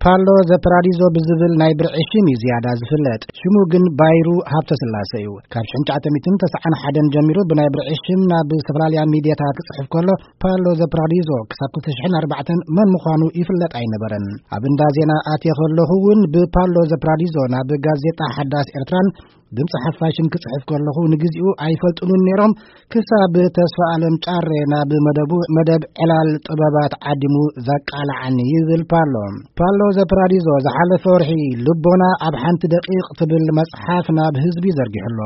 ፓሎ ዘ ፓራዲዞ ብዝብል ናይ ብርዒ ሽም እዩ ዝያዳ ዝፍለጥ። ሽሙ ግን ባይሩ ሃብተ ስላሰ እዩ። ካብ ሽሕን ትሽዓተ ሚእትን ተስዓን ሓደን ጀሚሩ ብናይ ብርዒ ሽም ናብ ዝተፈላለያ ሚድያታት ክጽሕፍ ከሎ፣ ፓሎ ዘ ፓራዲዞ ክሳብ ክልተ ሽሕን ኣርባዕተን መን ምዃኑ ይፍለጥ ኣይነበረን። ኣብ እንዳ ዜና ኣትየ ከለኹ እውን ብፓሎ ዘ ፓራዲዞ ናብ ጋዜጣ ሓዳስ ኤርትራን ድምፂ ሓፋሽን ክጽሕፍ ከለኹ ንግዚኡ ኣይፈልጡንን ነይሮም። ክሳብ ተስፋ ኣለም ጫሬ ናብ መደቡ፣ መደብ ዕላል ጥበባት ዓዲሙ ዘቃልዓኒ ይብል ፓሎ። ፓሎ ዘ ፓራዲዞ ዝሓለፈ ወርሒ ልቦና ኣብ ሓንቲ ደቂቕ ትብል መጽሓፍ ናብ ህዝቢ ዘርጊሑሎ።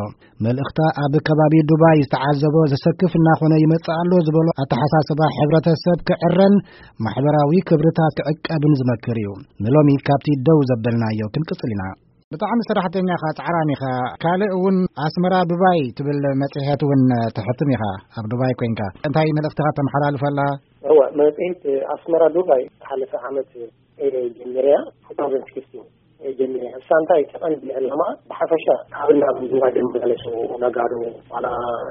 መልእኽታ ኣብ ከባቢ ዱባይ ዝተዓዘቦ ዘሰክፍ እናኾነ ይመጽእ ኣሎ ዝበሎ ኣተሓሳስባ ሕብረተሰብ ክዕረን ማሕበራዊ ክብርታት ክዕቀብን ዝመክር እዩ። ንሎሚ ካብቲ ደው ዘበልናዮ ክንቅጽል ኢና። ብጣዕሚ ሰራሕተኛ ኢኻ፣ ጻዕራም ኢኻ። ካልእ እውን ኣስመራ ዱባይ ትብል መጽሔት እውን ተሕትም ኢኻ፣ ኣብ ዱባይ ኮይንካ። እንታይ መልእኽትኻ ተመሓላልፍ ኣላ? እወ፣ መጽሔት ኣስመራ ዱባይ ዝሓለፈ ዓመት እየ ጀሚረያ፣ two thousand sixteen እየ ጀሚረያ። እሳ እንታይ እቲ ቀንዲ ዕላማ ብሓፈሻ ካብ ናብ ዱባይ ዝመላለሱ ነጋዶ ዋላ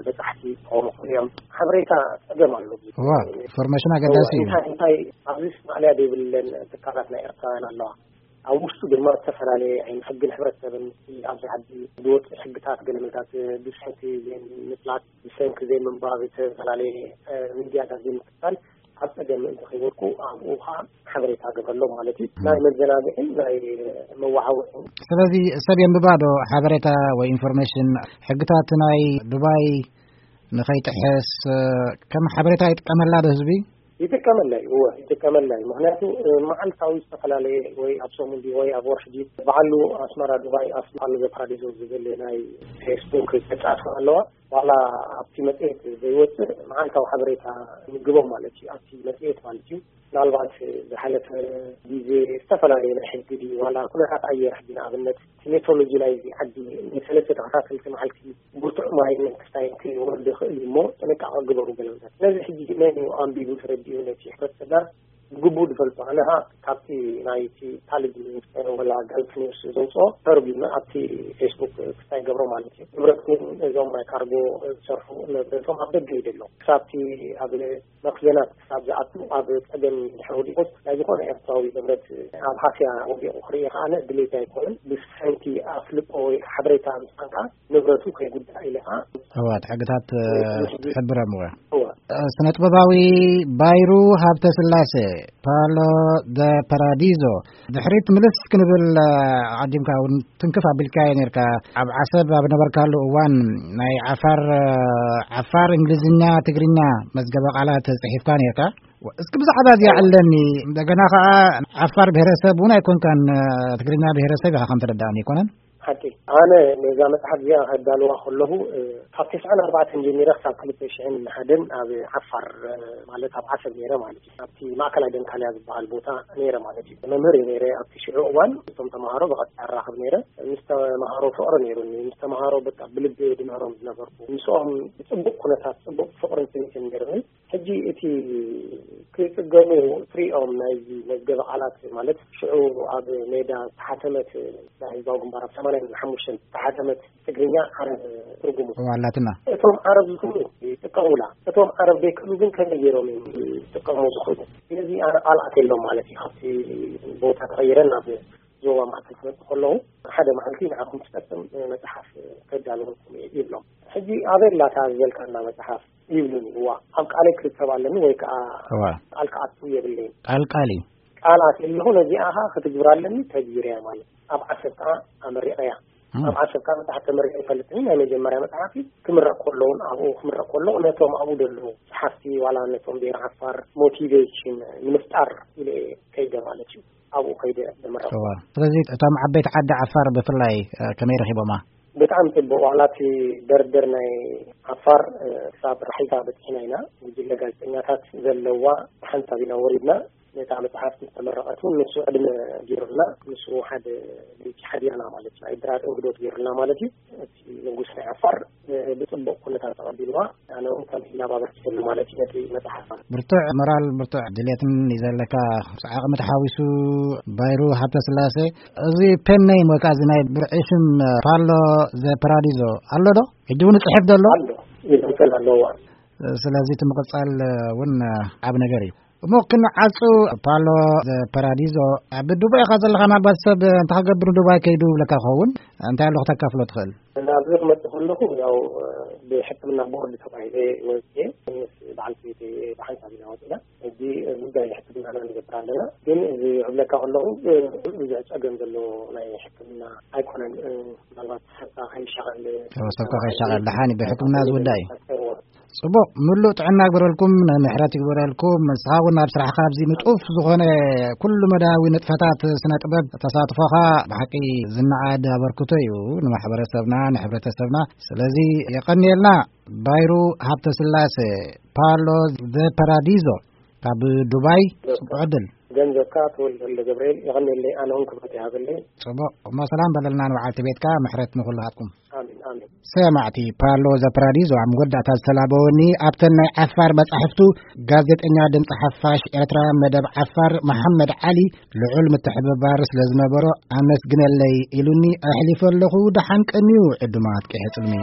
በጻሕቲ ክኾኑ ይኽእሉ እዮም። ሓበሬታ ጸገም ኣሎ። እዋ፣ ኢንፎርሜሽን ኣገዳሲ እዩ። እንታይ እንታይ ኣብዚ ማእለያ ዘይብለን ትካላት ናይ ኤርትራውያን ኣለዋ። ኣብ ውሽጡ ድማ ዝተፈላለየ ዓይነት ሕግን ሕብረተሰብን ኣብዚ ዓዲ ዝወፅእ ሕግታት ገለመታት ብሰንኪ ዘይምፍላጥ፣ ብሰንኪ ዘይምንባብ፣ ዝተፈላለየ ሚድያታት ዘይምክታል ኣብ ፀገም ምእንቲ ከይወድቁ ኣብኡ ከዓ ሓበሬታ ገብረሎም ማለት እዩ። ናይ መዘናግዕን ናይ መወዓውዒን። ስለዚ ሰብ የንብባ ዶ ሓበሬታ ወይ ኢንፎርሜሽን? ሕግታት ናይ ዱባይ ንኸይጥሕስ ከም ሓበሬታ ይጥቀመላ ዶ ህዝቢ? ይጥቀመላ እዩ፣ እወ፣ ይጥቀመላ እዩ። ምኽንያቱ፣ እ፣ መዓልታዊ ዝተፈላለየ ወይ ኣብ ሰሙን ድዩ ወይ ኣብ ወርሒ ድዩ፣ በዓሉ ኣስመራ ዱባይ ኣስመራ ዘ ፓራዲዞ ዝብል ናይ ፌስቡክ ገጻት ኣለዋ። ዋላ ኣብቲ መጽሔት ዘይወጽእ መዓልታዊ ሓበሬታ ምግቦም ማለት እዩ፣ ኣብቲ መጽሔት ማለት እዩ። ምናልባት ዝሓለፈ ግዜ ዝተፈላለየ ናይ ሕጊ ድዩ፣ ዋላ ኩነታት ኣየር ሕጂ ንኣብነት እቲ ሜትሮሎጂ ናይዚ ዓዲ ንሰለስተ ተኸታተልቲ መዓልቲ ብርቱዕ ማይን ክስታይን ክወርድ ይኽእል እዩ እሞ ጥንቃቐ ግበሩ ገለመታት። ስለዚ ሕጂ መን እዩ ኣንቢቡ ተረዲኡ ነቲ ሕብረተሰብና ብግቡእ ዝፈልጦ? ኣነ ኸኣ ካብቲ ናይቲ ታልግ ኒውስ ወላ ገልፍ ኒውስ ዘውፅኦ ተርጒመ ኣብቲ ፌስቡክ ክስታይ ገብሮ ማለት እዩ። ንብረትኩም እዞም ናይ ካርጎ ዝሰርሑ ንብረቶም ኣብ ደገ እዩ ዘሎ። ክሳብቲ ኣብ መኽዘናት ክሳብ ዝኣቱ ኣብ ጸገም ድሕሪ ወዲቑስ ናይ ዝኾነ ኤርትራዊ ንብረት ኣብ ሃስያ ወዲቑ ክርኢ ከኣ ድሌት ኣይኮነን። ብሰንኪ ኣፍልጦ ወይ ሓበሬታ ምዃን ከኣ ንብረቱ ከይጉዳእ ኢለ ከኣ እዋ፣ እቲ ሕግታት፣ እ፣ ትሕብረም እዋ። እዋ። እ፣ ስነ ጥበባዊ ባይሩ ሃብተ ስላሴ፣ ፓሎ ደ ፓራዲዞ፣ ድሕሪት ምልስ ክንብል፣ እ፣ ዓዲምካ እውን ትንክፍ ኣቢልካዮ ነርካ። ኣብ ዓሰብ ኣብ ነበርካሉ እዋን ናይ ዓፋር፣ እ፣ ዓፋር፣ እንግሊዝኛ፣ ትግርኛ መዝገበ ቃላት ጽሒፍካ ነርካ። እስኪ ብዛዕባ እዚኣ እዋ። ዕለኒ። እንደገና ከኣ ዓፋር ብሄረሰብ እውን ኣይኮንካን፣ እ፣ ትግርኛ ብሄረሰብ ኢኻ ከም ተረዳእኒ ኣይኮነን? ሓቂ። ኣነ ነዛ መጽሓፍ እዚኣ ከዳልዋ ከለኹ፣ እ፣ ካብ ተስዓን ኣርባዕተን ጀሚረ ክሳብ ክልተ ሽሕን ሓደን ኣብ ዓፋር፣ እ፣ ማለት ኣብ ዓሰብ ነይረ ማለት እዩ። ኣብቲ ማእከላይ ደንካልያ ዝበሃል ቦታ ነይረ ማለት እዩ። መምህር እየ ነይረ ኣብቲ ሽዑ እዋን። እቶም ተምሃሮ ብቐጥታ እራኸብ ነይረ። ምስ ተምሃሮ ፍቕሪ ነይሩኒ። ምስ ተምሃሮ በቃ ብልቢ ድምህሮም ዝነበርኩ። ምስኦም ብጽቡቕ ኩነታት፣ ጽቡቕ ፍቕርን ስኒትን ነይሩኒ። ሕጂ እቲ ክጽገሙ ትሪኦም ናይዚ መዝገበ ቃላት ማለት ሽዑ ኣብ ሜዳ ዝተሓተመት ናይ ህዝባዊ ግንባር ኣብ ሰማንያን ሓሙሽተን ዝተሓተመት ትግርኛ ዓረብ ትርጉሙ። እዋ ኣላትና። እቶም ዓረብ ዝኽእሉ ይጥቀሙላ። እቶም ዓረብ ዘይክእሉ ግን ከመይ ገይሮም እዮም ዝጥቀሙ ዝኽእሉ? ስለዚ ኣነ ቃል ኣትየሎም ማለት እዩ። ካብቲ ቦታ ተቐይረ ናብ ዞባ ማእከል ክመጽእ ከለዉ ሓደ መዓልቲ ንዓኹም ትጠቅም መጽሓፍ ከዳልወልኩም እየ ይብሎም። ሕጂ ኣበይ ኣላታ ዝበልካና መጽሓፍ? ይብሉኒ። እዋ፣ ኣብ ቃለይ ክርከብ ኣለኒ ወይ ከኣ እዋ። ቃል ክኣቱ የብለይን። ቃል ቃል እዩ። ቃል ኣትየ ኣለኹ፣ ነዚኣ ኸኣ ክትግብር ኣለኒ፣ ተግቢረያ ማለት እዩ። ኣብ ዓሰብ ከኣ ኣመሪቐያ። እም። ኣብ ዓሰብ ከኣ መጽሓፍ ተመሪቐ ይፈልጥን፣ ናይ መጀመርያ መጽሓፍ እዩ። ክምረቕ ከሎ እውን፣ ኣብኡ ክምረቕ ከሎ፣ ነቶም ኣብኡ ዘለዉ ጸሓፍቲ፣ ዋላ ነቶም ብሄር ዓፋር ሞቲቬሽን ንምፍጣር ኢለ እየ ከይደ ማለት እዩ። ኣብኡ ከይደ ዝምረቕ። እዋ። ስለዚ እቶም ዓበይቲ ዓዲ ዓፋር ብፍላይ፣ እ፣ ከመይ ረኺቦማ? ብጣዕሚ ጽቡቕ። ዋላ እቲ ደርደር ናይ ዓፋር፣ እ፣ ክሳብ ራሒታ በጺሕና ኢና። ጉጅለ ጋዜጠኛታት ዘለዋ ሓንሳብ ኢና ወሪድና። ነታ መጽሓፍ ምስ ተመረቐት እውን ንሱ ዕድመ ገይሩልና፣ ንሱ ሓደ ለይቲ ሓዲርና ማለት እዩ። ናይ ድራር እንግዶት ገይሩልና ማለት እዩ። እቲ ንጉስ ናይ ዓፋር፣ እ፣ ብጽቡቕ ኩነታት ተቐቢልዋ። ኣነ እውን ከም ኢላብ ኣበርኪተሉ ማለት እዩ ነቲ መጽሓፍ። ብርቱዕ ሞራል፣ ብርቱዕ ድሌትን እዩ ዘለካ። ምስ ዓቕሚ ተሓዊሱ ባይሩ ሃብተስላሴ፣ እዚ ፔን ኔም ወይ ከዓ እዚ ናይ ብርዒ ሽም ፓሎ ዘ ፓራዲዞ ኣሎ ዶ? ሕጂ እውን ይጽሕፍ ዘሎ? ኣሎ፣ ይቕጽል ኣለዎ። ስለዚ እቲ ምቕጻል እውን ዓብ ነገር እዩ። እሞ ክንዓጹ፣ ፓሎ ፓራዲዞ፣ ኣብ ዱባይ ኢኻ ዘለኻ፣ ምናልባት ሰብ እንታይ ክገብር ዱባይ ከይዱ ይብለካ ክኸውን። እንታይ ኣሎ ክተካፍሎ ትኽእል? ናብዚ ክመጽእ ከለኹ፣ ያው ብሕክምና ቦርድ ተባሂለ ወፅየ ምስ በዓልቲ ቤተይ ብሓንሳብ ኢና ወፂና። እዚ ጉዳይ ሕክምናና ንገብር ኣለና። ግን እዚ ክብለካ ከለኹ፣ ብዙሕ ፀገም ዘለዎ ናይ ሕክምና ኣይኮነን። ምናልባት ሰብካ ከይሻቐል፣ ሰብካ ከይሻቐል፣ ደሓን እዩ፣ ብሕክምና ዝውዳእ እዩ። ጽቡቕ፣ ምሉእ ጥዕና ይግበረልኩም፣ ምሕረት ይግበረልኩም። ንስኻ እውን ኣብ ስራሕኻ ኣብዚ ንጡፍ ዝኾነ ኩሉ መዳያዊ ንጥፈታት ስነ ጥበብ ተሳትፎኻ ብሓቂ ዝነኣድ ኣበርክቶ እዩ ንማሕበረሰብና፣ ንሕብረተሰብና። ስለዚ የቐንየልና። ባይሩ ሃብተስላሴ፣ ፓሎ ዘ ፓራዲዞ፣ ካብ ዱባይ። ጽቡቕ ዕድል። ገንዘብካ ተወልደ ገብርኤል፣ የቐንየለይ። ኣነ እውን ክብረት ይሃበለይ። ጽቡቕ፣ እሞ ሰላም በለልና ንበዓልቲ ቤትካ፣ ምሕረት ንኹልኻትኩም። ኣሜን፣ ኣሜን። ሰማዕቲ፣ ፓሎ ዘ ፓራዲዞ ኣብ መወዳእታ ዝተላበወኒ፣ ኣብተን ናይ ዓፋር መጻሕፍቱ፣ ጋዜጠኛ ድምጺ ሓፋሽ ኤርትራ መደብ ዓፋር መሓመድ ዓሊ ልዑል ምትሕብባር ስለ ዝነበሮ ኣመስግነለይ ኢሉኒ ኣሕሊፈ ኣለኹ። ደሓን ቀንዩ ዕዱማት ቀይሕጽልሚ።